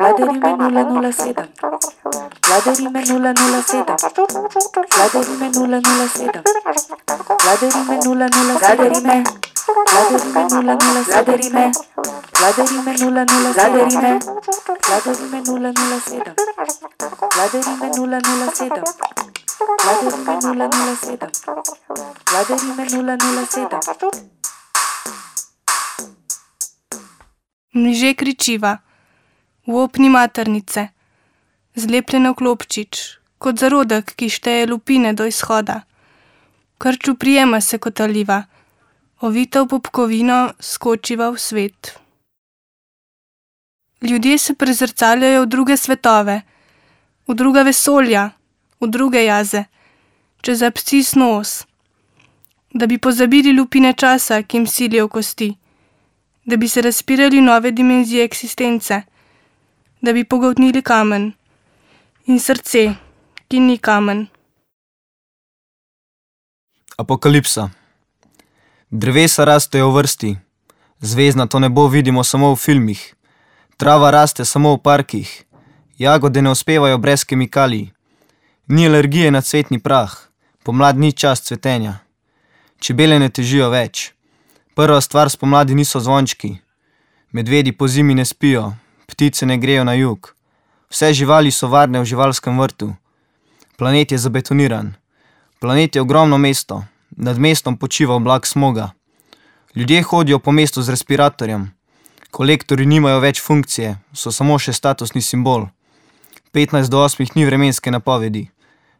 Vladarime 007. Vladarime 007. Vladarime 007. Vladarime 007. Vladarime 007. Vladarime 007. Vladarime 007. Vladarime 007. Vladarime 007. Vladarime 007. Mniže kričiva, v opni maternice, zlepljena v klopčič, kot zarodek, ki šteje lupine do izhoda. Krču prijema se kot aliva, ovita v popkovino skočiva v svet. Ljudje se prezrcaljajo v druge svetove, v druga vesolja, v druge jaze, čez abscis nos, da bi pozabili lupine časa, ki jim silijo v kosti, da bi se razpirali nove dimenzije eksistence, da bi pogoltnili kamen in srce, ki ni kamen. Apokalipsa. Drevesa rastejo v vrsti, zvezdnato nebo vidimo samo v filmih, trava raste samo v parkih, jagode ne uspevajo brez kemikalij, ni alergije na cvetni prah, pomlad ni čas cvetenja, čebele ne težijo več. Prva stvar spomladi niso zvončki, medvedi po zimi ne spijo, ptice ne grejo na jug, vse živali so varne v živalskem vrtu. Planet je zabetoniran, planet je ogromno mesto, nad mestom počiva oblak smoga. Ljudje hodijo po mestu z respiratorjem, kolektorji nimajo več funkcije, so samo še statusni simbol. 15 do 8 ni vremenske napovedi,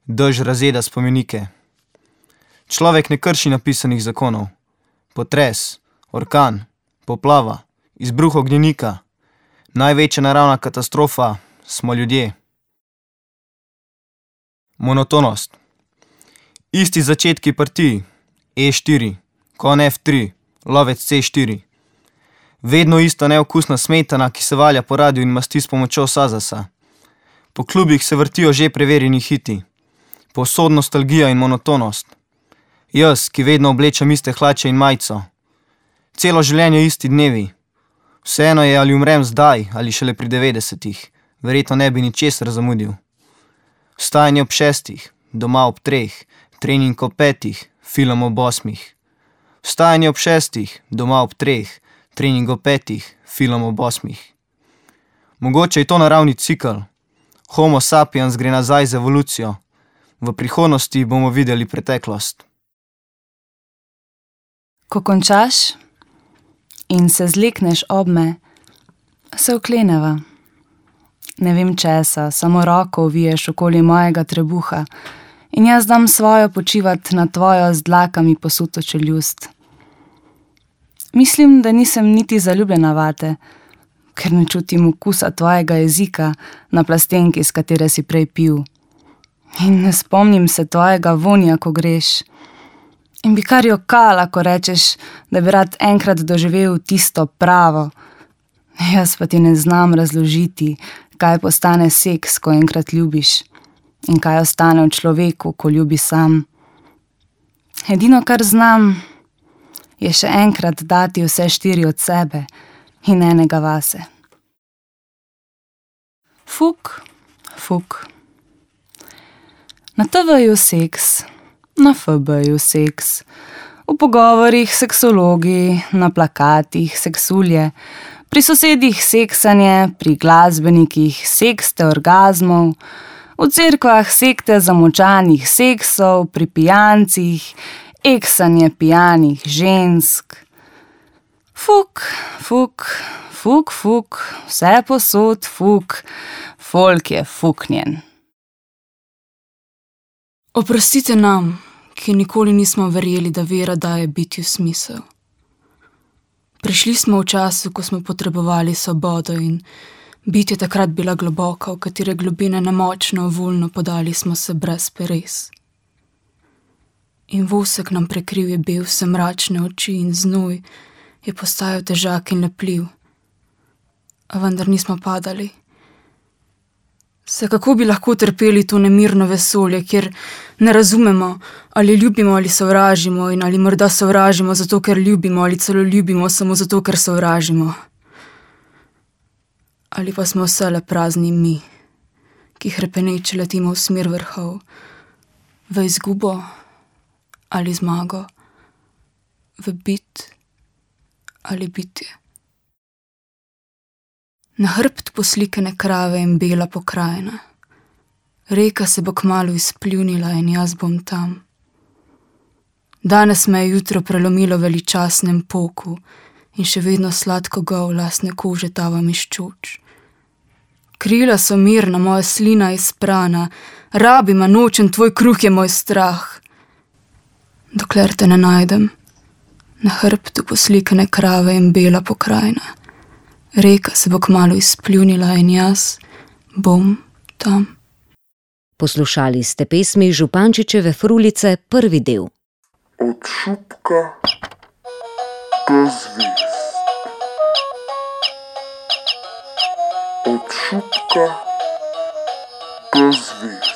dež razjeda spomenike. Človek ne krši napisanih zakonov. Potres, orkan, poplava, izbruh ognjenika, največja naravna katastrofa smo ljudje. Monotonost. Isti začetki partij, E4, kon F3, lovec C4. Vedno ista neokusna smetana, ki se valja po radiju in masti s pomočjo Sazasa. Po klubih se vrtijo že preverjeni hiti. Povsod nostalgija in monotonost. Jaz, ki vedno oblečem iste hlače in majico. Celo življenje isti dnevi. Vseeno je, ali umrem zdaj, ali šele pri 90-ih. Verjetno ne bi ničesar zamudil. Vstajanje ob 6, doma ob 3, trening ob 5, film ob 8. Vstajanje ob 6, doma ob 3, trening ob 5, film ob 8. Mogoče je to naravni cikl. Homo sapiens gre nazaj z evolucijo. V prihodnosti bomo videli preteklost. Ko končaš in se zlekneš ob me, se okleneva. Ne vem česa, samo roko oviješ okoli mojega trebuha in jaz dam svojo počivat na tvojo z dlakami posuto čeljust. Mislim, da nisem niti zaljubljena vate, ker ne čutim okusa tvojega jezika na plastenki, s katere si prej pil. In ne spomnim se tvojega vonja, ko greš. In bi kar jokala, ko rečeš, da bi rad enkrat doživel tisto pravo. Jaz pa ti ne znam razložiti, kaj postane seks, ko enkrat ljubiš, in kaj ostane v človeku, ko ljubi sam. Edino, kar znam, je še enkrat dati vse 4 od sebe in enega vase. Fuk, fuk. Na TV-ju seks, na FB-ju seks, v pogovorih seksologi, na plakatih seksulje, pri sosedih seksanje, pri glasbenikih sekste orgazmov, v cerkvah sekte zamočanih seksov, pri pijancih eksanje pijanih žensk. Fuk, fuk, fuk, fuk, vse posod fuk, folk je fuknjen. Oprostite nam, ki nikoli nismo verjeli, da vera daje bitju smisel. Prišli smo v času, ko smo potrebovali svobodo in bitje takrat bila globoka, v katere globine nemočno, voljno podali smo se brez peres. In vosek nam prekril je bil vse mračne oči in znoj je postajal težak in lepljiv. A vendar nismo padali. Se kako bi lahko trpeli to nemirno vesolje, kjer ne razumemo, ali ljubimo ali sovražimo in ali morda sovražimo zato, ker ljubimo ali celo ljubimo samo zato, ker sovražimo. Ali pa smo vse le prazni mi, ki hrepeneče letimo v smer vrhov, v izgubo ali zmago, v bit ali bitje. Na hrbtu poslikane krave in bela pokrajina. Reka se bo kmalu izpljunila in jaz bom tam. Danes me je jutro prelomilo v veličastnem poku in še vedno sladko gol lastne kože tavam iz čoč. Krila so mirna, moja slina je sprana, rabim, a nočem, tvoj kruh je moj strah. Dokler te ne najdem, na hrbtu poslikane krave in bela pokrajina. Reka se bo kmalu izpljunila in jaz bom tam. Poslušali ste pesmi Župančičeve Frulice, prvi del. Od šupka do zvezd. Od šupka do zvezd.